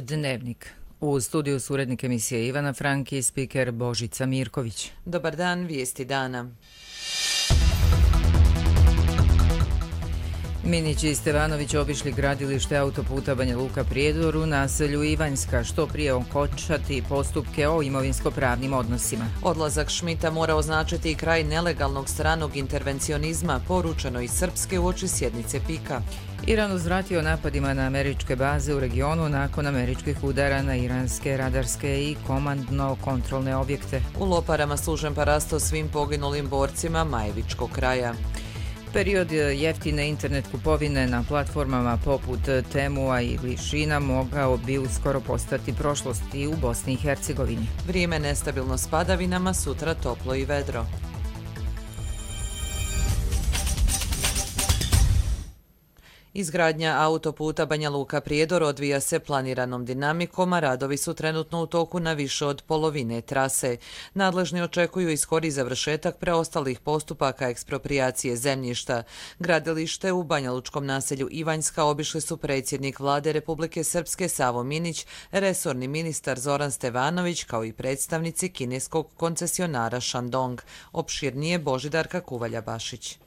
Dnevnik. U studiju su urednik emisije Ivana Franki i spiker Božica Mirković. Dobar dan, vijesti dana. Minić i Stevanović obišli gradilište autoputa Banja Luka-Prijedor u naselju Ivanjska, što prije okončati postupke o imovinsko-pravnim odnosima. Odlazak Šmita mora označiti i kraj nelegalnog stranog intervencionizma, poručeno iz Srpske uoči sjednice PIK-a. Iran uzvratio napadima na američke baze u regionu nakon američkih udara na iranske radarske i komandno-kontrolne objekte. U Loparama služen parasto svim poginulim borcima Majevičkog kraja. Period jeftine internet kupovine na platformama poput Temua ili Šina mogao bi uskoro postati prošlost i u Bosni i Hercegovini. Vrijeme nestabilno s padavinama, sutra toplo i vedro. Izgradnja autoputa Banja Luka-Prijedor odvija se planiranom dinamikom, a radovi su trenutno u toku na više od polovine trase. Nadležni očekuju i skori završetak preostalih postupaka eksproprijacije zemljišta. Gradilište u banjalučkom naselju Ivanjska obišli su predsjednik Vlade Republike Srpske Savo Minić, resorni ministar Zoran Stevanović, kao i predstavnici kineskog koncesionara Shandong. Opširnije Božidarka Kuvalja-Bašić.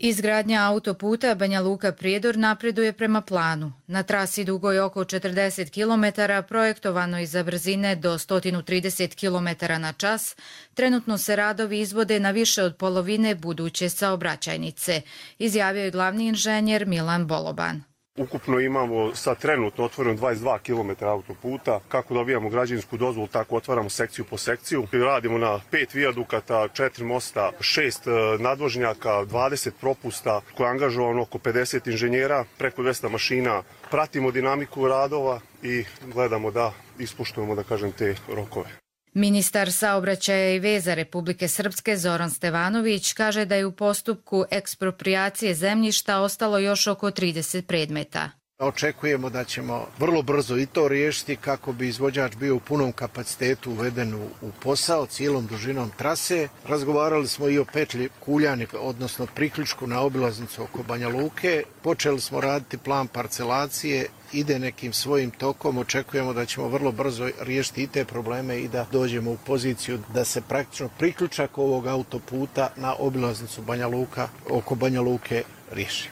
Izgradnja autoputa Banja Luka-Prijedor napreduje prema planu. Na trasi dugoj oko 40 km, projektovano i za brzine do 130 km na čas, trenutno se radovi izvode na više od polovine buduće saobraćajnice, izjavio je glavni inženjer Milan Boloban. Ukupno imamo sad trenutno otvoreno 22 km autoputa. Kako dobijamo građevinsku dozvolu, tako otvaramo sekciju po sekciju. Radimo na 5 vijadukata, 4 mosta, 6 nadvožnjaka, 20 propusta, koje je angažovano oko 50 inženjera, preko 200 mašina. Pratimo dinamiku radova i gledamo da ispoštujemo, da kažem, te rokove. Ministar saobraćaja i veza Republike Srpske Zoran Stevanović kaže da je u postupku eksproprijacije zemljišta ostalo još oko 30 predmeta. Očekujemo da ćemo vrlo brzo i to riješiti kako bi izvođač bio u punom kapacitetu uveden u posao cijelom dužinom trase. Razgovarali smo i o petlji Kuljani, odnosno priključku na obilaznicu oko Banja Luke. Počeli smo raditi plan parcelacije, ide nekim svojim tokom. Očekujemo da ćemo vrlo brzo riješiti i te probleme i da dođemo u poziciju da se praktično priključak ovog autoputa na obilaznicu Banja Luka oko Banja Luke riješi.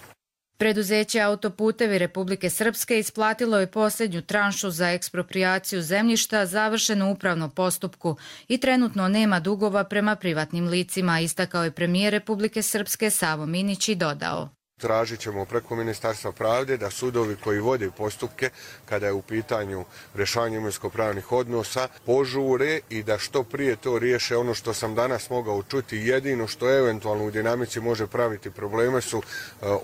Preduzeće Autoputevi Republike Srpske isplatilo je posljednju tranšu za eksproprijaciju zemljišta završenu u upravnom postupku i trenutno nema dugova prema privatnim licima, istakao je premijer Republike Srpske Savo Minić i dodao. Tražit ćemo preko Ministarstva pravde da sudovi koji vode postupke kada je u pitanju rješavanje imovinsko-pravnih odnosa požure i da što prije to riješe. Ono što sam danas mogao čuti, jedino što eventualno u dinamici može praviti probleme su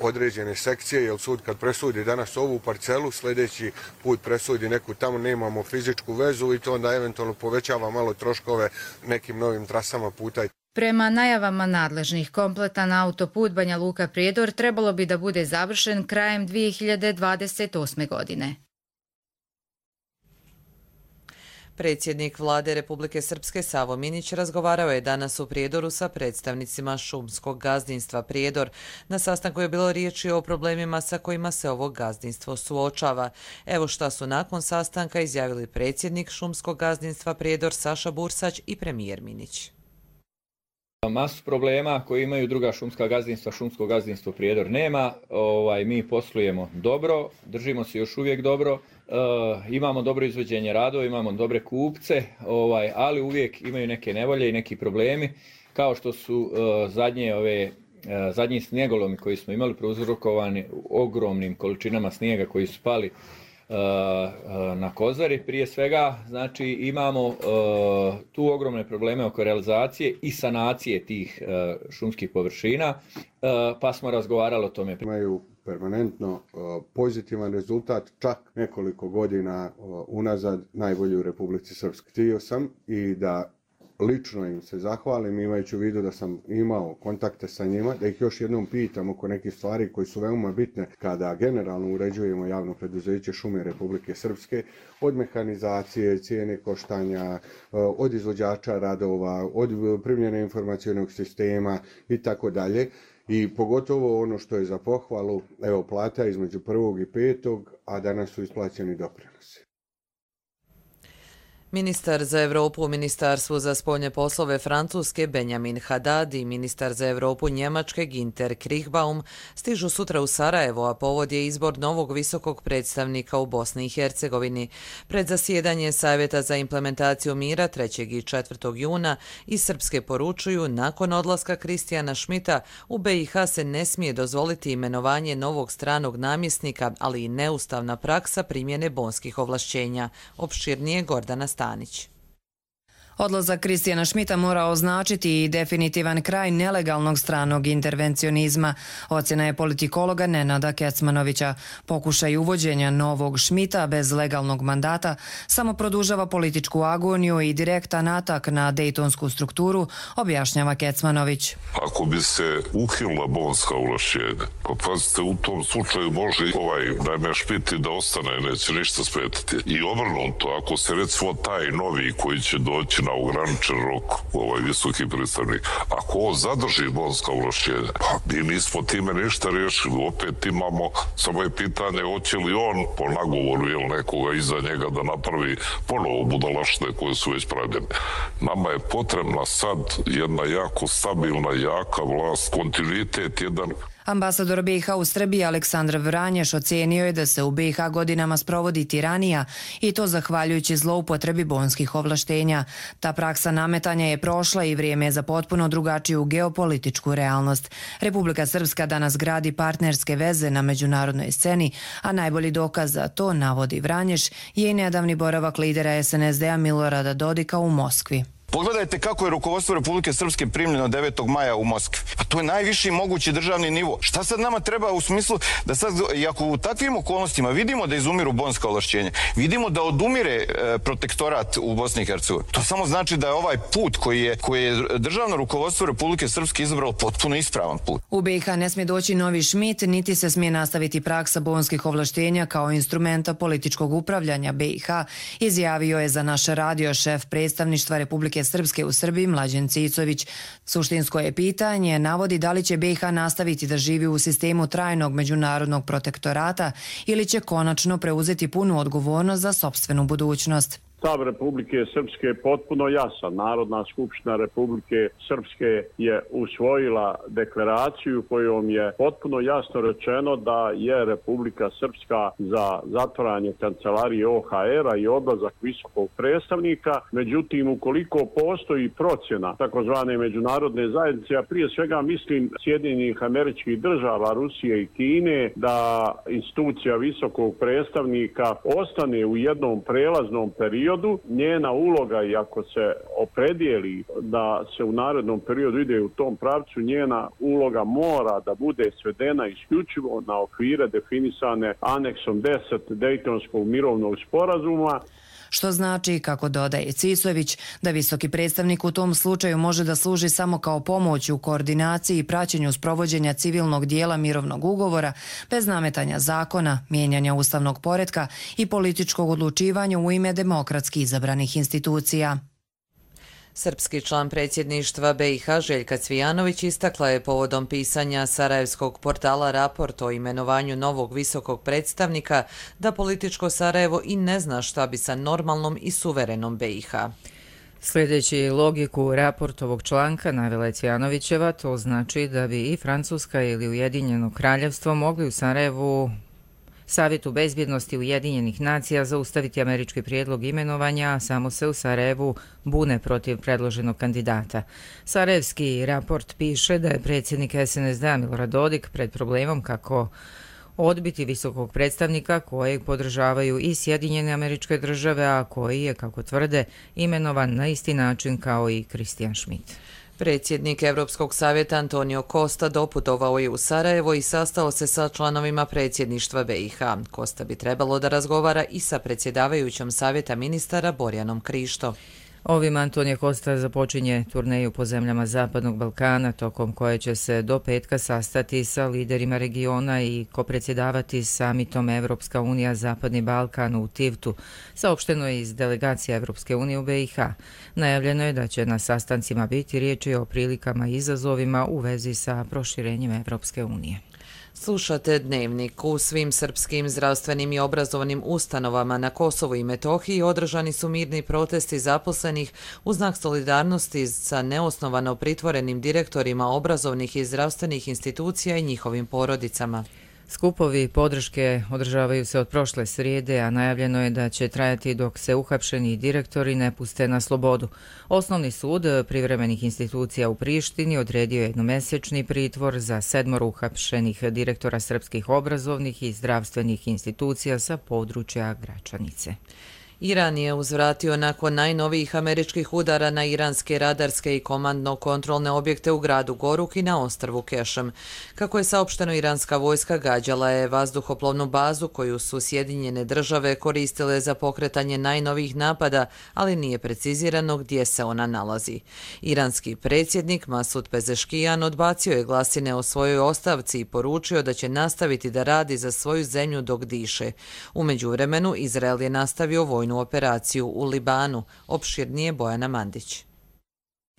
određene sekcije, jer sud kad presudi danas ovu parcelu, sljedeći put presudi neku tamo, nemamo fizičku vezu i to onda eventualno povećava malo troškove nekim novim trasama puta. Prema najavama nadležnih, kompletan autoput Banja Luka-Prijedor trebalo bi da bude završen krajem 2028. godine. Predsjednik Vlade Republike Srpske Savo Minić razgovarao je danas u Prijedoru sa predstavnicima šumskog gazdinstva Prijedor. Na sastanku je bilo riječi o problemima sa kojima se ovo gazdinstvo suočava. Evo šta su nakon sastanka izjavili predsjednik šumskog gazdinstva Prijedor Saša Bursać i premijer Minić. Masu problema koje imaju druga šumska gazdinstva, šumsko gazdinstvo Prijedor nema. Mi poslujemo dobro, držimo se još uvijek dobro, imamo dobro izvođenje radova, imamo dobre kupce, ali uvijek imaju neke nevolje i neki problemi, kao što su zadnji snijegolomi koji smo imali prouzrokovani ogromnim količinama snijega koji su pali na Kozari prije svega. Znači imamo tu ogromne probleme oko realizacije i sanacije tih šumskih površina, pa smo razgovarali o tome. Imaju permanentno pozitivan rezultat, čak nekoliko godina unazad najbolji u Republici Srpskoj. Htio sam i da lično im se zahvalim, imajući u vidu da sam imao kontakte sa njima, da ih još jednom pitam oko nekih stvari koji su veoma bitne kada generalno uređujemo javno preduzeće Šume Republike Srpske, od mehanizacije, cijene koštanja, od izvođača radova, od primjene informacionog sistema i tako dalje. I pogotovo ono što je za pohvalu, evo plata između 1. i 5. a danas su isplaćeni doprinosi. Ministar za Evropu u Ministarstvu za spoljne poslove Francuske Benjamin Haddad i ministar za Evropu Njemačke Günther Kriechbaum stižu sutra u Sarajevo, a povod je izbor novog visokog predstavnika u Bosni i Hercegovini. Pred zasjedanje Savjeta za implementaciju mira 3. i 4. juna iz Srpske poručuju, nakon odlaska Kristijana Schmidta u BiH se ne smije dozvoliti imenovanje novog stranog namjesnika, ali i neustavna praksa primjene bonskih ovlašćenja. Opširnije Gordana Stanić. Odlazak Kristijana Schmidta mora označiti i definitivan kraj nelegalnog stranog intervencionizma. Ocjena je politikologa Nenada Kecmanovića. Pokušaj uvođenja novog Schmidta bez legalnog mandata samo produžava političku agoniju i direktan atak na dejtonsku strukturu, objašnjava Kecmanović. Ako bi se uhilila bonska ovlašćenja, pa pazite, u tom slučaju može naime Schmidt da ostane, neće ništa smetati. I obrnuto, ako se recimo taj novi koji će doći na ograničen rok, visoki predstavnik, ako on zadrži bonska ovlašćenja, pa mi nismo time ništa riješili. Opet imamo, samo je pitanje hoće li on po nagovoru nekoga iza njega da napravi ponovo budalaštine koje su već pravljene. Nama je potrebna sad jedna jako stabilna, jaka vlast, kontinuitet jedan. Ambasador BiH u Srbiji Aleksandar Vranješ ocenio je da se u BiH godinama sprovodi tiranija i to zahvaljujući zloupotrebi bonskih ovlaštenja. Ta praksa nametanja je prošla i vrijeme je za potpuno drugačiju geopolitičku realnost. Republika Srpska danas gradi partnerske veze na međunarodnoj sceni, a najbolji dokaz za to, navodi Vranješ, je i nedavni boravak lidera SNSD-a Milorada Dodika u Moskvi. Pogledajte kako je rukovodstvo Republike Srpske primljeno 9. maja u Moskvi. Pa to je najviši mogući državni nivo. Šta sad nama treba u smislu da sad, ako u takvim okolnostima vidimo da izumiru bonska ovlašćenja, vidimo da odumire protektorat u Bosni i Hercegovini, to samo znači da je ovaj put koji je državno rukovodstvo Republike Srpske izabralo potpuno ispravan put. U BiH ne smije doći novi Schmidt, niti se smije nastaviti praksa bonskih ovlaštenja kao instrumenta političkog upravljanja BiH, izjavio je za naš radio šef predstavništva Republike Srpske u Srbiji Mlađen Cicović. Suštinsko je pitanje, navodi da li će BiH nastaviti da živi u sistemu trajnog međunarodnog protektorata ili će konačno preuzeti punu odgovornost za sopstvenu budućnost. Stav Republike Srpske je potpuno jasan. Narodna skupština Republike Srpske je usvojila deklaraciju kojom je potpuno jasno rečeno da je Republika Srpska za zatvaranje kancelarije OHR-a i odlazak visokog predstavnika. Međutim, ukoliko postoji procjena takozvane međunarodne zajednice, a prije svega mislim Sjedinjenih Američkih Država, Rusije i Kine, da institucija visokog predstavnika ostane u jednom prelaznom periodu, njena uloga, i ako se opredijeli da se u narednom periodu ide u tom pravcu, njena uloga mora da bude svedena isključivo na okvire definisane aneksom 10 Dejtonskog mirovnog sporazuma. Što znači, kako dodaje Cisović, da visoki predstavnik u tom slučaju može da služi samo kao pomoć u koordinaciji i praćenju sprovođenja civilnog dijela mirovnog ugovora, bez nametanja zakona, mijenjanja ustavnog poretka i političkog odlučivanja u ime demokratski izabranih institucija. Srpski član predsjedništva BiH Željka Cvijanović istakla je povodom pisanja sarajevskog portala Raport o imenovanju novog visokog predstavnika da političko Sarajevo i ne zna šta bi sa normalnom i suverenom BiH. Sljedeći logiku raportovog članka, navela je Cvijanovićeva, to znači da bi i Francuska ili Ujedinjeno kraljevstvo mogli u Sarajevu Savjetu bezbjednosti Ujedinjenih nacija zaustaviti američki prijedlog imenovanja, a samo se u Sarajevu bune protiv predloženog kandidata. Sarajevski raport piše da je predsjednik SNSD-a Milorad Dodik pred problemom kako odbiti visokog predstavnika kojeg podržavaju i Sjedinjene Američke Države, a koji je, kako tvrde, imenovan na isti način kao i Kristijan Schmidt. Predsjednik Europskog savjeta Antonio Costa doputovao je u Sarajevo i sastao se sa članovima predsjedništva BiH. Costa bi trebalo da razgovara i sa predsjedavajućom savjeta ministara Borjanom Krišto. Ovim Antonio Costa započinje turneju po zemljama Zapadnog Balkana, tokom koje će se do petka sastati sa liderima regiona i kopredsjedavati samitom Evropska unija Zapadni Balkan u Tivtu, saopšteno je iz delegacije Evropske unije u BiH. Najavljeno je da će na sastancima biti riječi o prilikama i izazovima u vezi sa proširenjem Evropske unije. Slušate Dnevnik. U svim srpskim zdravstvenim i obrazovnim ustanovama na Kosovu i Metohiji održani su mirni protesti zaposlenih u znak solidarnosti sa neosnovano pritvorenim direktorima obrazovnih i zdravstvenih institucija i njihovim porodicama. Skupovi podrške održavaju se od prošle srijede, a najavljeno je da će trajati dok se uhapšeni direktori ne puste na slobodu. Osnovni sud privremenih institucija u Prištini odredio je jednomesečni pritvor za 7 uhapšenih direktora srpskih obrazovnih i zdravstvenih institucija sa područja Gračanice. Iran je uzvratio nakon najnovijih američkih udara na iranske radarske i komandno-kontrolne objekte u gradu Goruk i na ostrvu Kešem. Kako je saopšteno, iranska vojska gađala je vazduhoplovnu bazu koju su Sjedinjene države koristile za pokretanje najnovijih napada, ali nije precizirano gdje se ona nalazi. Iranski predsjednik Masud Pezeškijan odbacio je glasine o svojoj ostavci i poručio da će nastaviti da radi za svoju zemlju dok diše. U međuvremenu, Izrael je nastavio vojnu operaciju u Libanu. Opširnije Bojana Mandić.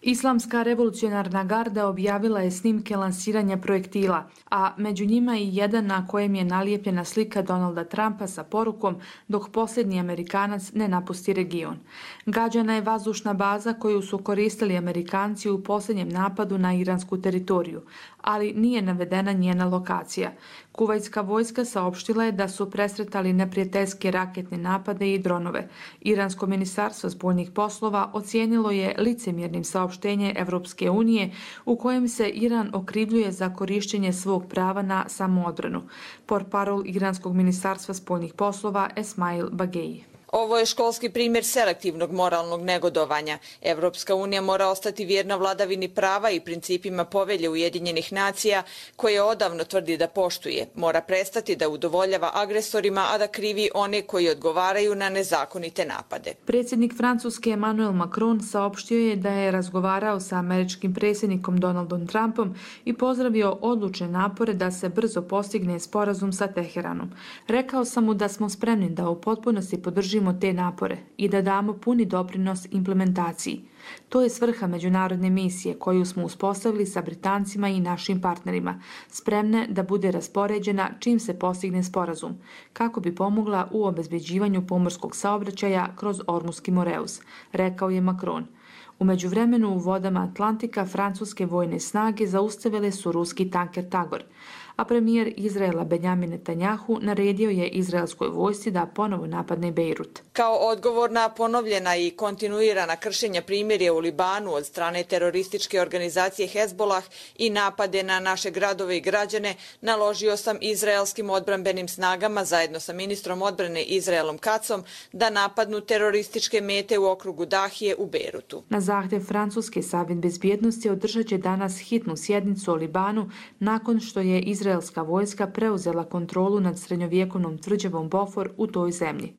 Islamska revolucionarna garda objavila je snimke lansiranja projektila, a među njima i jedan na kojem je nalijepljena slika Donalda Trumpa sa porukom dok posljednji Amerikanac ne napusti region. Gađana je vazdušna baza koju su koristili Amerikanci u posljednjem napadu na iransku teritoriju, ali nije navedena njena lokacija. Kuvajtska vojska saopštila je da su presretali neprijateljske raketne napade i dronove. Iransko ministarstvo spoljnih poslova ocijenilo je licemjernim saopštenje Evropske unije u kojem se Iran okrivljuje za korištenje svog prava na samoodbranu. Portparol Iranskog ministarstva spoljnih poslova Esmail Bageji. Ovo je školski primjer selektivnog moralnog negodovanja. Evropska unija mora ostati vjerna vladavini prava i principima povelje Ujedinjenih nacija, koje odavno tvrdi da poštuje. Mora prestati da udovoljava agresorima, a da krivi one koji odgovaraju na nezakonite napade. Predsjednik Francuske Emmanuel Macron saopštio je da je razgovarao sa američkim predsjednikom Donaldom Trumpom i pozdravio odlučne napore da se brzo postigne sporazum sa Teheranom. Rekao sam mu da smo spremni da u potpunosti podržimo te napore i da damo puni doprinos implementaciji. To je svrha međunarodne misije koju smo uspostavili sa Britancima i našim partnerima, spremne da bude raspoređena čim se postigne sporazum, kako bi pomogla u obezbeđivanju pomorskog saobraćaja kroz Ormuski Moreus, rekao je Macron. U međuvremenu u vodama Atlantika francuske vojne snage zaustavile su ruski tanker Tagor, a premijer Izraela Benjamin Netanjahu naredio je izraelskoj vojsci da ponovo napadne Bejrut. Kao odgovor na ponovljena i kontinuirana kršenja primirja u Libanu od strane terorističke organizacije Hezbollah i napade na naše gradove i građane, naložio sam izraelskim odbrambenim snagama zajedno sa ministrom odbrane Izraelom Kacom da napadnu terorističke mete u okrugu Dahije u Bejrutu. Na zahtjev Francuske Savjet bezbjednosti održat će danas hitnu sjednicu o Libanu nakon što je izraelska vojska preuzela kontrolu nad srednjovjekovnom tvrđavom Bofor u toj zemlji.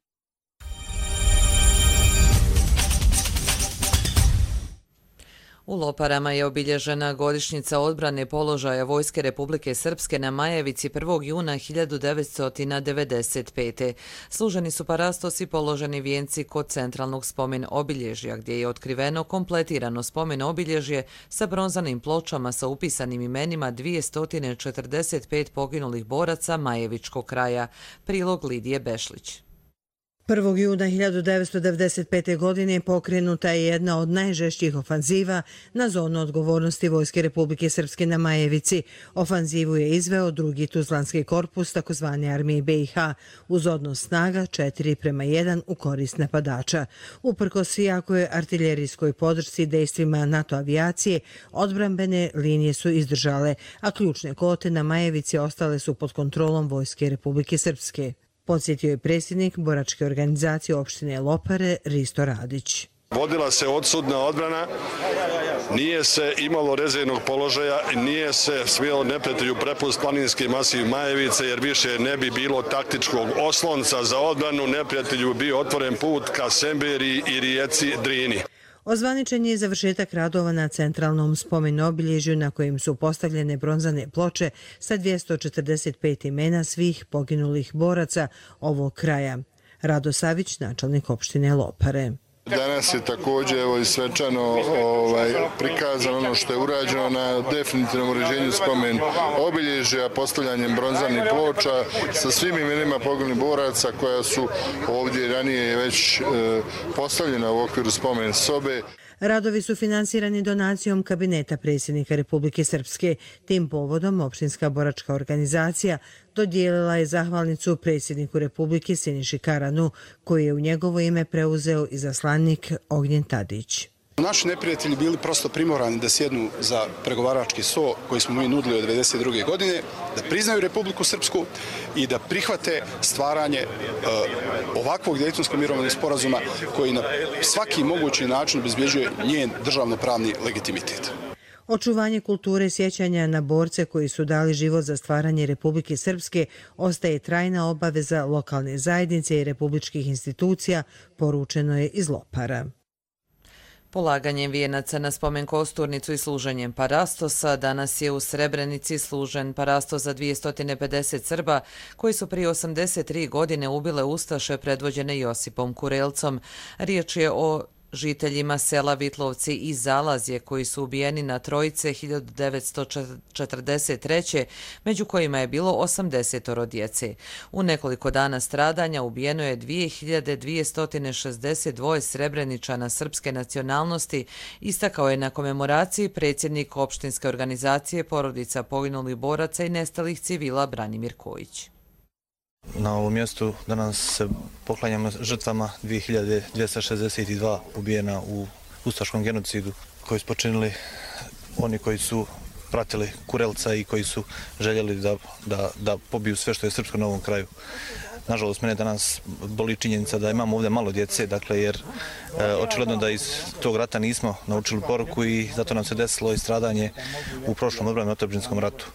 U Loparama je obilježena godišnjica odbrane položaja Vojske Republike Srpske na Majevici 1. juna 1995. Služeni su parastosi položeni vijenci kod centralnog spomen obilježja, gdje je otkriveno kompletirano spomen obilježje sa bronzanim pločama sa upisanim imenima 245 poginulih boraca Majevičkog kraja. Prilog Lidije Bešlić. 1. juna 1995. godine pokrenuta je jedna od najžešćih ofanziva na zonu odgovornosti Vojske Republike Srpske na Majevici. Ofanzivu je izveo drugi Tuzlanski korpus takozvane armije BiH uz odnos snaga 4:1 u korist napadača. Uprkos jakoj artiljerijskoj podršci dejstvima NATO avijacije, odbrambene linije su izdržale, a ključne kote na Majevici ostale su pod kontrolom Vojske Republike Srpske. Podsjetio je predsjednik boračke organizacije opštine Lopare Risto Radić. Vodila se odsudna odbrana, nije se imalo rezervnog položaja i nije se smjelo neprijatelju prepust planinski masiv Majevice jer više ne bi bilo taktičkog oslonca za odbranu, neprijatelju bio otvoren put ka Semberiji i rijeci Drini. Ozvaničen je završetak radova na centralnom spomen obilježju na kojem su postavljene bronzane ploče sa 245 imena svih poginulih boraca ovog kraja. Rado Savić, načelnik opštine Lopare. Danas je također i svečano prikazano ono što je urađeno na definitivnom uređenju spomen obilježja, postavljanjem bronzanih ploča sa svim imenima poginulih boraca koja su ovdje ranije već postavljena u okviru spomen sobe. Radovi su finansirani donacijom kabineta predsjednika Republike Srpske. Tim povodom opštinska boračka organizacija dodijelila je zahvalnicu predsjedniku Republike Siniši Karanu, koji je u njegovo ime preuzeo izaslanik Ognjen Tadić. Naši neprijatelji bili prosto primorani da sjednu za pregovarački sto koji smo mi nudili od 1992. godine, da priznaju Republiku Srpsku i da prihvate stvaranje ovakvog Dejtonskog mirovnog sporazuma koji na svaki mogući način obezbjeđuje njen državno-pravni legitimitet. Očuvanje kulture sjećanja na borce koji su dali život za stvaranje Republike Srpske ostaje trajna obaveza lokalne zajednice i republičkih institucija, poručeno je iz Lopara. Polaganjem vijenaca na spomen kosturnicu i služenjem parastosa danas je u Srebrenici služen parastos za 250 Srba koji su prije 83 godine ubile ustaše predvođene Josipom Kurelcom. Riječ je o žiteljima sela Vitlovci i Zalazje koji su ubijeni na Trojice 1943. među kojima je bilo 80 djece. U nekoliko dana stradanja ubijeno je 2262 Srebreničana srpske nacionalnosti, istakao je na komemoraciji predsjednik opštinske organizacije porodica poginulih boraca i nestalih civila Branimir Kojić. Na ovom mjestu danas se poklanjamo žrtvama 2262 ubijena u ustaškom genocidu koji su počinili oni koji su pratili Kurelca i koji su željeli da pobiju sve što je srpsko na ovom kraju. Nažalost, mene danas boli činjenica da imamo ovdje malo djece, dakle, jer očigledno da iz tog rata nismo naučili poruku i zato nam se desilo i stradanje u prošlom odbranom otadžbinskom ratu.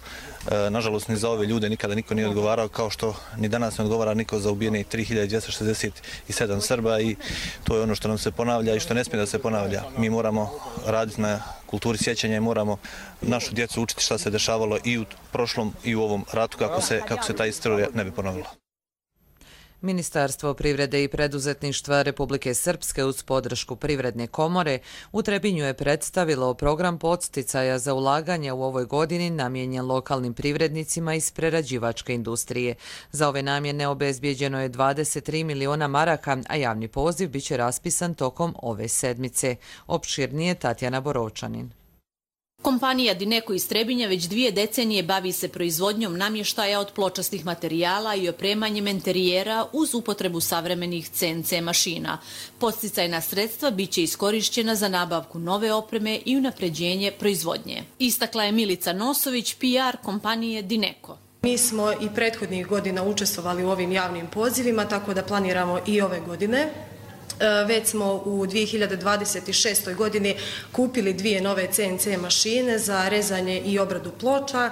Nažalost, ni za ove ljude nikada niko nije odgovarao, kao što ni danas ne odgovara niko za ubijene 3267 Srba i to je ono što nam se ponavlja i što ne smije da se ponavlja. Mi moramo raditi na kulturi sjećanja i moramo našu djecu učiti šta se dešavalo i u prošlom i u ovom ratu kako se ta istorija ne bi ponovila. Ministarstvo privrede i preduzetništva Republike Srpske uz podršku Privredne komore u Trebinju je predstavilo program podsticaja za ulaganje u ovoj godini namijenjen lokalnim privrednicima iz prerađivačke industrije. Za ove namjene obezbijeđeno je 23 miliona maraka, a javni poziv biće raspisan tokom ove sedmice. Opširnije Tatjana Borovčanin. Kompanija Dineko iz Trebinja već 2 decenije bavi se proizvodnjom namještaja od pločastih materijala i opremanjem enterijera uz upotrebu savremenih CNC mašina. Podsticajna sredstva biće iskorišćena za nabavku nove opreme i unapređenje proizvodnje. Istakla je Milica Nosović, PR kompanije Dineko. Mi smo i prethodnih godina učestvovali u ovim javnim pozivima, tako da planiramo i ove godine. Već smo u 2026. godini kupili 2 nove CNC mašine za rezanje i obradu ploča,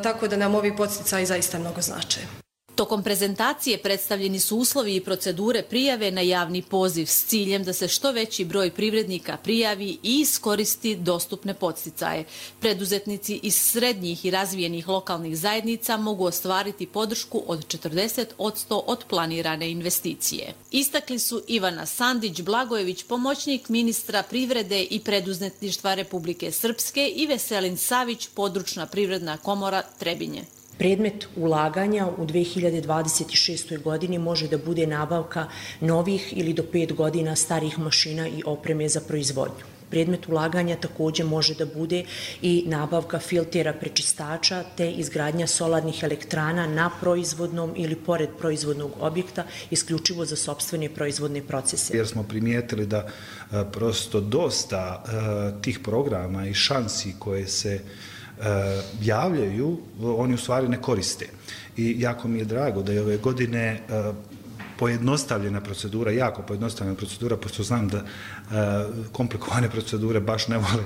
tako da nam ovi podsticaji zaista mnogo znače. Tokom prezentacije predstavljeni su uslovi i procedure prijave na javni poziv s ciljem da se što veći broj privrednika prijavi i iskoristi dostupne podsticaje. Preduzetnici iz srednjih i razvijenih lokalnih zajednica mogu ostvariti podršku od 40% od planirane investicije. Istakli su Ivana Sandić-Blagojević, pomoćnik ministra privrede i preduzetništva Republike Srpske i Veselin Savić, područna privredna komora Trebinje. Predmet ulaganja u 2026. godini može da bude nabavka novih ili do 5 godina starih mašina i opreme za proizvodnju. Predmet ulaganja također može da bude i nabavka filtera prečistača te izgradnja solarnih elektrana na proizvodnom ili pored proizvodnog objekta isključivo za sopstvene proizvodne procese. Jer smo primijetili da prosto dosta tih programa i šansi koje se javljaju, oni u stvari ne koriste. I jako mi je drago da je ove godine pojednostavljena procedura, jako pojednostavljena procedura, pošto znam da komplikovane procedure baš ne vole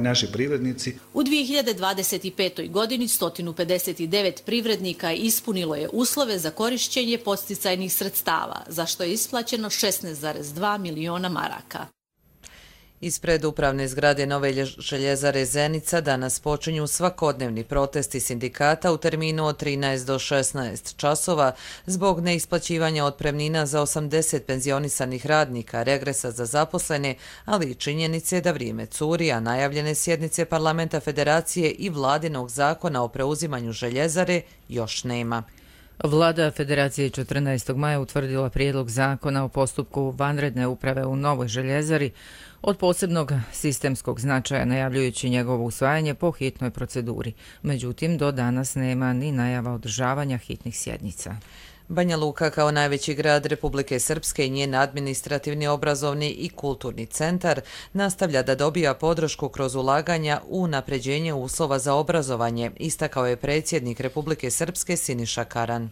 naši privrednici. U 2025. godini 159 privrednika ispunilo je uslove za korišćenje podsticajnih sredstava, za što je isplaćeno 16,2 miliona maraka. Ispred upravne zgrade nove željezare Zenica danas počinju svakodnevni protesti sindikata u terminu od 13 do 16 časova zbog neisplaćivanja otpremnina za 80 penzionisanih radnika, regresa za zaposlene, ali i činjenice da vrijeme curi, a najavljene sjednice Parlamenta Federacije i vladinog zakona o preuzimanju željezare još nema. Vlada Federacije 14. maja utvrdila prijedlog zakona o postupku vanredne uprave u novoj željezari od posebnog sistemskog značaja, najavljujući njegovo usvajanje po hitnoj proceduri. Međutim, do danas nema ni najava održavanja hitnih sjednica. Banja Luka kao najveći grad Republike Srpske i njen administrativni, obrazovni i kulturni centar nastavlja da dobija podršku kroz ulaganja u unapređenje uslova za obrazovanje, istakao je predsjednik Republike Srpske Siniša Karan.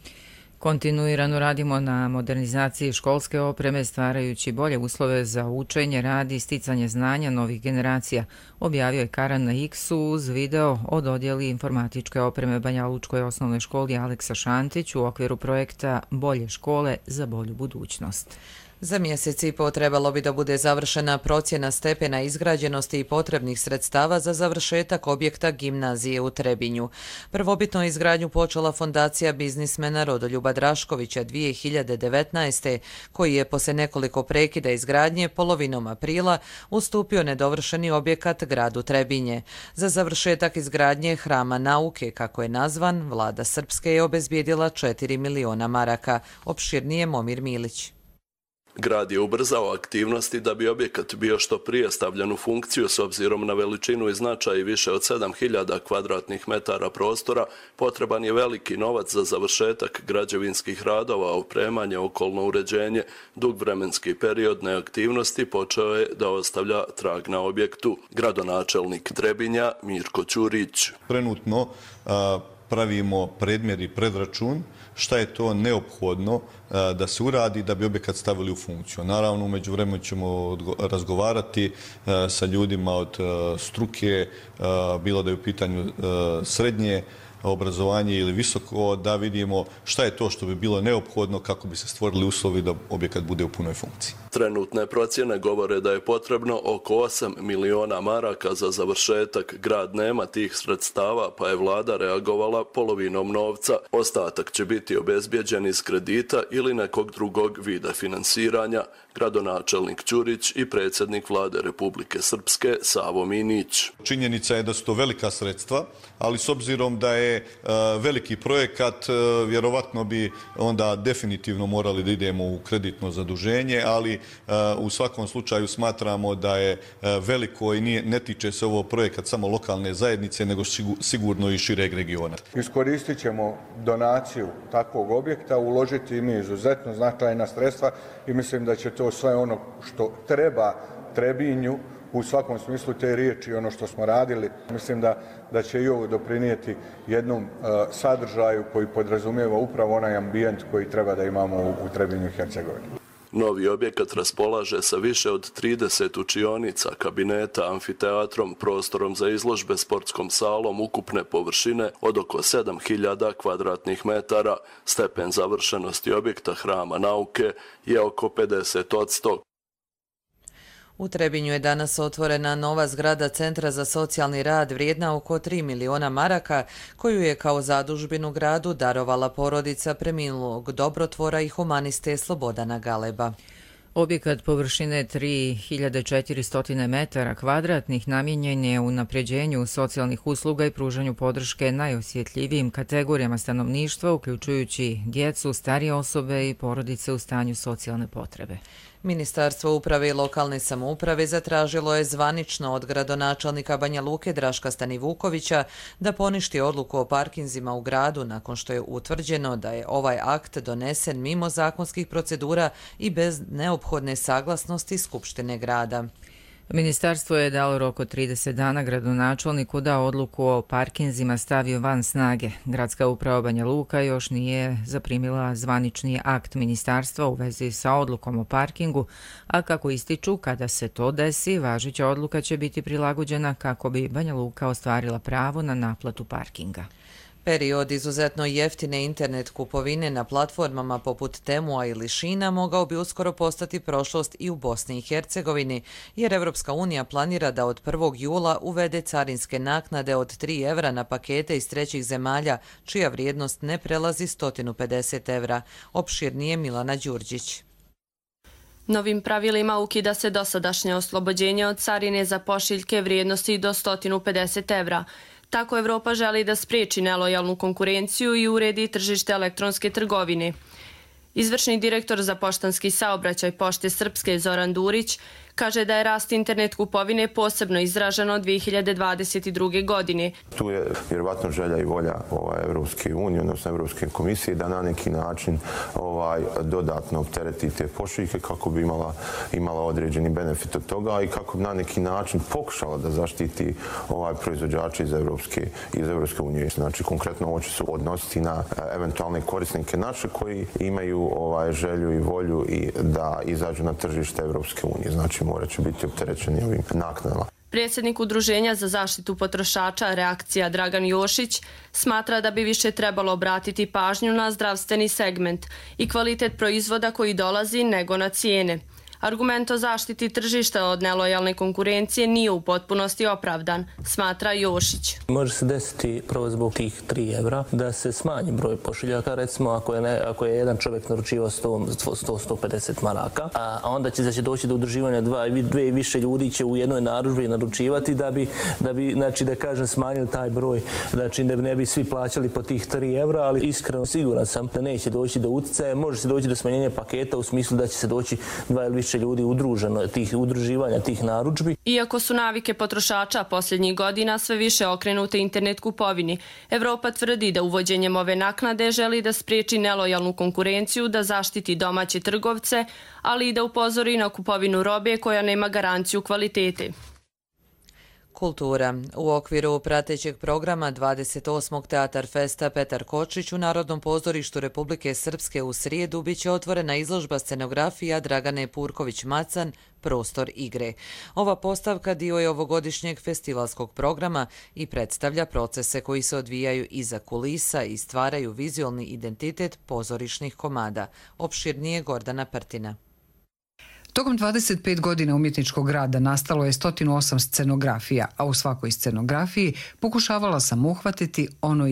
Kontinuirano radimo na modernizaciji školske opreme, stvarajući bolje uslove za učenje, rad i sticanje znanja novih generacija, objavio je Karan na X-u uz video o dodjeli informatičke opreme Banja Lučkoj osnovnoj školi Aleksa Šantić u okviru projekta Bolje škole za bolju budućnost. Za mjesec i po trebalo bi da bude završena procjena stepena izgrađenosti i potrebnih sredstava za završetak objekta gimnazije u Trebinju. Prvobitno izgradnju počela fondacija biznismena Rodoljuba Draškovića 2019. koji je posle nekoliko prekida izgradnje polovinom aprila ustupio nedovršeni objekat gradu Trebinje. Za završetak izgradnje Hrama nauke, kako je nazvan, vlada Srpske je obezbijedila 4 miliona maraka. Opširnije Momir Milić. Grad je ubrzao aktivnosti da bi objekat bio što prije stavljen u funkciju s obzirom na veličinu i značaj više od 7000 kvadratnih metara prostora. Potreban je veliki novac za završetak građevinskih radova, opremanje, okolno uređenje. Dug vremenski period neaktivnosti počeo je da ostavlja trag na objektu. Gradonačelnik Trebinja Mirko Ćurić. Trenutno pravimo predmjer i predračun šta je to neophodno da se uradi da bi objekat stavili u funkciju. Naravno, umeđu vremenu ćemo razgovarati sa ljudima od struke, bilo da je u pitanju srednje obrazovanje ili visoko, da vidimo šta je to što bi bilo neophodno kako bi se stvorili uslovi da objekat bude u punoj funkciji. Trenutne procjene govore da je potrebno oko 8 miliona maraka za završetak. Grad nema tih sredstava, pa je vlada reagovala polovinom novca. Ostatak će biti obezbijeđen iz kredita ili nekog drugog vida finansiranja. Gradonačelnik Ćurić i predsjednik vlade Republike Srpske Savo Minić. Činjenica je da su to velika sredstva, ali s obzirom da je veliki projekat, vjerovatno bi onda definitivno morali da idemo u kreditno zaduženje, ali u svakom slučaju smatramo da je veliko i ne tiče se ovo projekat samo lokalne zajednice, nego sigurno i šireg regiona. Iskoristit ćemo donaciju takvog objekta, uložiti i mi izuzetno značajna sredstva i mislim da će to sve ono što treba Trebinju u svakom smislu te riječi, ono što smo radili, mislim da će i ovo doprinijeti jednom sadržaju koji podrazumijeva upravo onaj ambijent koji treba da imamo u Trebinju i Hercegovini. Novi objekat raspolaže sa više od 30 učionica, kabineta, amfiteatrom, prostorom za izložbe, sportskom salom, ukupne površine od oko 7000 kvadratnih metara. Stepen završenosti objekta Hrama nauke je oko 50%. U Trebinju je danas otvorena nova zgrada Centra za socijalni rad vrijedna oko 3 miliona maraka, koju je kao zadužbinu gradu darovala porodica preminulog dobrotvora i humaniste Slobodana Galeba. Objekat površine 3400 metara kvadratnih namijenjen je unapređenju socijalnih usluga i pružanju podrške najosjetljivijim kategorijama stanovništva, uključujući djecu, starije osobe i porodice u stanju socijalne potrebe. Ministarstvo uprave i lokalne samouprave zatražilo je zvanično od gradonačelnika Banja Luke Draška Stanivukovića da poništi odluku o parkinzima u gradu nakon što je utvrđeno da je ovaj akt donesen mimo zakonskih procedura i bez neophodne saglasnosti Skupštine grada. Ministarstvo je dalo rok od 30 dana gradonačelniku da odluku o parkinzima stavio van snage. Gradska uprava Banja Luka još nije zaprimila zvanični akt ministarstva u vezi sa odlukom o parkingu, a kako ističu, kada se to desi, važeća odluka će biti prilagođena kako bi Banja Luka ostvarila pravo na naplatu parkinga. Period izuzetno jeftine internet kupovine na platformama poput Temua ili Šina mogao bi uskoro postati prošlost i u Bosni i Hercegovini, jer Evropska unija planira da od 1. jula uvede carinske naknade od 3 evra na pakete iz trećih zemalja, čija vrijednost ne prelazi 150 evra. Opširnije Milana Đurđić. Novim pravilima ukida se dosadašnje oslobođenje od carine za pošiljke vrijednosti do 150 evra. Tako Evropa želi da spriječi nelojalnu konkurenciju i uredi tržište elektronske trgovine. Izvršni direktor za poštanski saobraćaj Pošte Srpske Zoran Durić kaže da je rast internet kupovine posebno izraženo 2022. godine. Tu je vjerovatno želja i volja Evropske unije, odnosno Evropske komisije, da na neki način dodatno optereti te pošiljke kako bi imala određeni benefit od toga i kako bi na neki način pokušala da zaštiti proizvođače iz Evropske unije. Znači, konkretno ovo će se odnositi na eventualne korisnike naše koji imaju želju i volju i da izađu na tržište Evropske unije. Znači, morat će biti opterećeni ovim naknadama. Predsjednik Udruženja za zaštitu potrošača Reakcija Dragan Jošić smatra da bi više trebalo obratiti pažnju na zdravstveni segment i kvalitet proizvoda koji dolazi nego na cijene. Argument o zaštiti tržišta od nelojalne konkurencije nije u potpunosti opravdan, smatra Jošić. Može se desiti prvo zbog tih 3 evra da se smanji broj pošiljaka, recimo ako je jedan čovjek naručivao 100-150 maraka, a onda će doći do udruživanja dve i više ljudi će u jednoj narudžbi naručivati da bi znači da kažem smanjili taj broj, znači da ne bi svi plaćali po tih 3 evra, ali iskreno siguran sam da neće doći do utjecaja, može se doći do smanjenja paketa u smislu da će se doći 2 ili više ljudi udruživanja tih narudžbi. Iako su navike potrošača posljednjih godina sve više okrenute internet kupovini, Evropa tvrdi da uvođenjem ove naknade želi da spriječi nelojalnu konkurenciju, da zaštiti domaće trgovce, ali i da upozori na kupovinu robe koja nema garanciju kvalitete. Kultura. U okviru pratećeg programa 28. Teatar Festa Petar Kočić u Narodnom pozorištu Republike Srpske u srijedu biće otvorena izložba scenografija Dragane Purković-Macan Prostor igre. Ova postavka dio je ovogodišnjeg festivalskog programa i predstavlja procese koji se odvijaju iza kulisa i stvaraju vizualni identitet pozorišnih komada. Opširnije Gordana Prtina. Tokom 25 godina umjetničkog rada nastalo je 108 scenografija, a u svakoj scenografiji pokušavala sam uhvatiti ono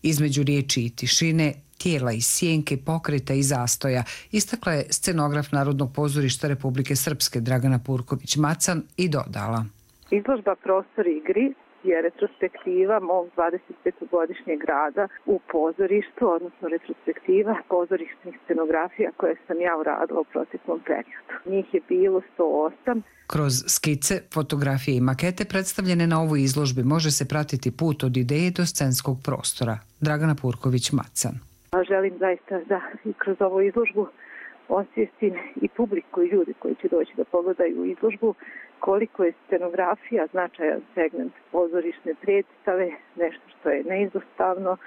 između riječi i tišine, tijela i sjenke, pokreta i zastoja, istakla je scenograf Narodnog pozorišta Republike Srpske Dragana Purković-Macan i dodala. Izložba Prostor igri je retrospektiva mog 25-godišnjeg rada u pozorištu, odnosno retrospektiva pozorišnih scenografija koje sam ja uradila u proteklom periodu. Njih je bilo 108. Kroz skice, fotografije i makete predstavljene na ovoj izložbi može se pratiti put od ideje do scenskog prostora. Dragana Purković-Macan. Želim zaista da i kroz ovu izložbu osvijestim i publiku i ljudi koji će doći da pogledaju izložbu koliko je scenografija značajan segment pozorišne predstave, nešto što je neizostavno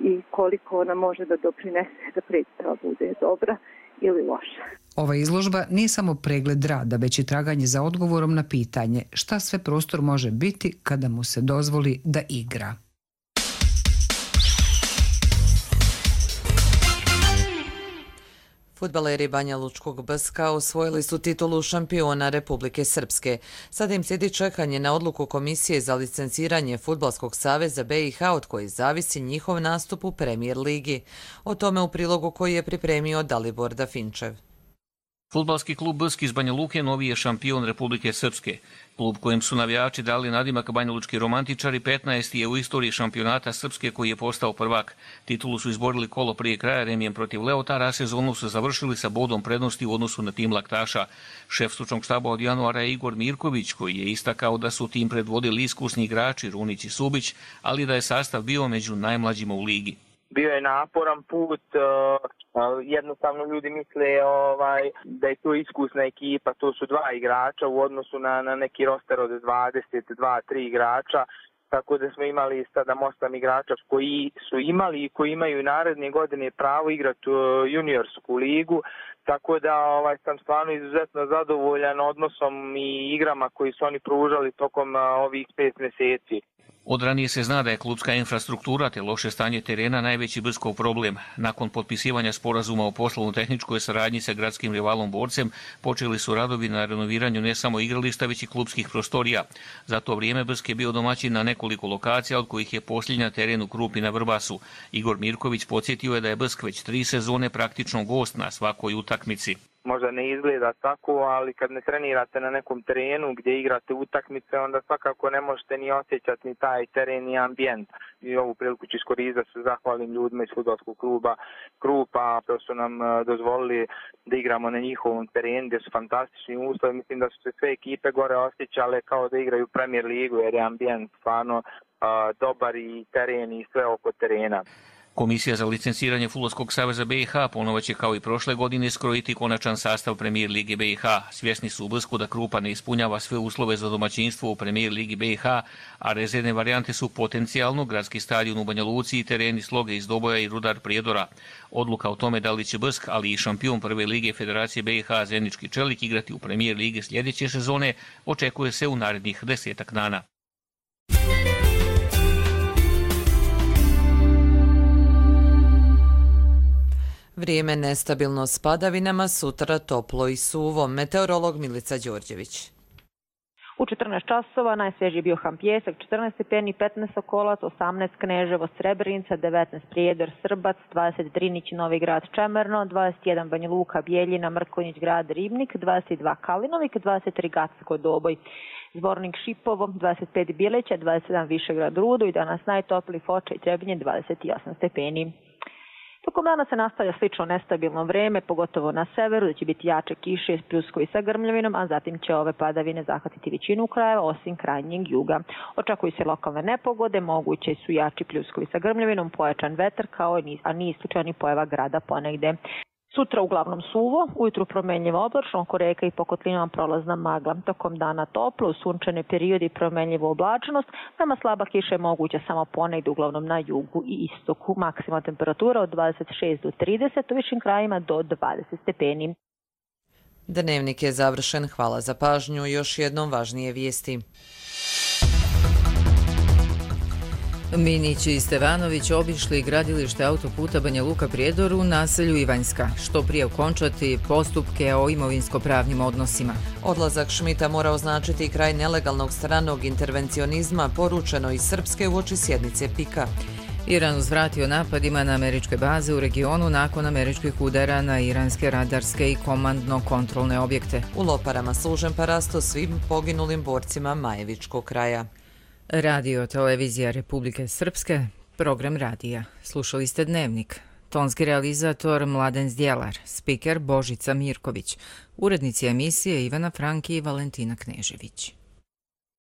i koliko ona može da doprinese da predstava bude dobra ili loša. Ova izložba nije samo pregled rada, već i traganje za odgovorom na pitanje šta sve prostor može biti kada mu se dozvoli da igra. Fudbaleri Banja Lučkog BSK osvojili su titulu šampiona Republike Srpske. Sada im slijedi čekanje na odluku Komisije za licenciranje Fudbalskog saveza BiH od koje zavisi njihov nastup u Premijer ligi. O tome u prilogu koji je pripremio Dalibor Dafinčev. Fudbalski klub BSK iz Banja Luke novi je šampion Republike Srpske. Klub kojem su navijači dali nadimak Banjalučki romantičari 15. je u istoriji šampionata Srpske koji je postao prvak. Titulu su izborili kolo prije kraja remijem protiv Leotara, a sezonu su završili sa bodom prednosti u odnosu na tim laktaša. Šef stručnog štaba od januara je Igor Mirković koji je istakao da su tim predvodili iskusni igrači Runić i Subić, ali da je sastav bio među najmlađima u ligi. Bio je naporan put, jednostavno ljudi misle da je to iskusna ekipa, to su 2 igrača u odnosu na neki roster od 22-3 igrača, tako da smo imali sada 8 igrača koji su imali i koji imaju naredne godine pravo igrati juniorsku ligu, tako da sam stvarno izuzetno zadovoljan odnosom i igrama koji su oni pružali tokom ovih 5 mjeseci. Od ranije se zna da je klubska infrastruktura te loše stanje terena najveći Bskov problem. Nakon potpisivanja sporazuma o poslovno-tehničkoj saradnji sa gradskim rivalom Borcem, počeli su radovi na renoviranju ne samo igrališta, već i klubskih prostorija. Za to vrijeme Brsk je bio domaćin na nekoliko lokacija, od kojih je posljednja teren u Krupi na Vrbasu. Igor Mirković podsjetio je da je Brsk već 3 sezone praktično gost na svakoj utakmici. Možda ne izgleda tako, ali kad ne trenirate na nekom terenu gdje igrate utakmice, onda svakako ne možete ni osjećati ni taj teren ni ambijent. I ovu priliku ću iskoristiti da se zahvalim ljudima iz fudbalskog kluba Krupa, što su nam dozvolili da igramo na njihovom terenu gdje su fantastični uslovi. Mislim da su se sve ekipe gore osjećale kao da igraju Premier ligu jer je ambijent stvarno dobar i teren i sve oko terena. Komisija za licenciranje Fudbalskog saveza BiH ponovo će kao i prošle godine skrojiti konačan sastav Premijer Lige BiH. Svjesni su u Brsku da Krupa ne ispunjava sve uslove za domaćinstvo u Premijer Ligi BiH, a rezervne varijante su potencijalno gradski stadion u Banja Luci i tereni Sloge iz Doboja i Rudar Prijedora. Odluka o tome da li će Brsk, ali i šampion Prve lige Federacije BiH Zenički Čelik igrati u Premijer Lige sljedeće sezone očekuje se u narednih 10 dana. Vrijeme nestabilno s padavinama, sutra toplo i suvo. Meteorolog Milica Đorđević. U 14 časova najsvježiji bio Ham Pjesak, 14 stepeni, 15 Sokolac, 18 Kneževo, Srebrenica, 19 Prijedor, Srbac, 20 Drinić, Novi Grad, Čemerno, 21 Banja Luka, Bijeljina, Mrkonjić, Grad, Ribnik, 22 Kalinovik, 23 Gacko, Doboj, Zvornik, Šipovo, 25 Bileća, 27 Višegrad, Rudo i danas najtopliji Foča i Trebinje, 28 stepeni. Tokom dana se nastavlja slično nestabilno vreme, pogotovo na severu, da će biti jače kiše, pljuskovi sa grmljavinom, a zatim će ove padavine zahvatiti većinu krajeva, osim krajnjeg juga. Očekuju se lokalne nepogode, moguće su jači pljuskovi sa grmljavinom, pojačan vetar, a nije isključena ni pojava grada ponegde. Sutra uglavnom suvo, ujutru promenljivo oblačno, oko reka i po kotlinama prolazna magla. Tokom dana toplo, u sunčane periode i promenljivo oblačnost, nama slaba kiša je moguća samo ponegde, uglavnom na jugu i istoku. Maksimalna temperatura od 26 do 30, u višim krajima do 20 stepeni. Dnevnik je završen, hvala za pažnju, još jednom važnije vijesti. Minić i Stevanović obišli gradilište autoputa Banja Luka Prijedor u naselju Ivanjska, što prije okončati postupke o imovinsko-pravnim odnosima. Odlazak Šmita mora označiti kraj nelegalnog stranog intervencionizma, poručeno iz Srpske uoči sjednice PIK-a. Iran uzvratio napadima na američke baze u regionu nakon američkih udara na iranske radarske i komandno-kontrolne objekte. U Loparama služen parasto svim poginulim borcima Majevičkog kraja. Radio Televizija Republike Srpske, program radija. Slušali ste Dnevnik. Tonski realizator Mladen Zdjelar, spiker Božica Mirković, urednici emisije Ivana Franki i Valentina Knežević.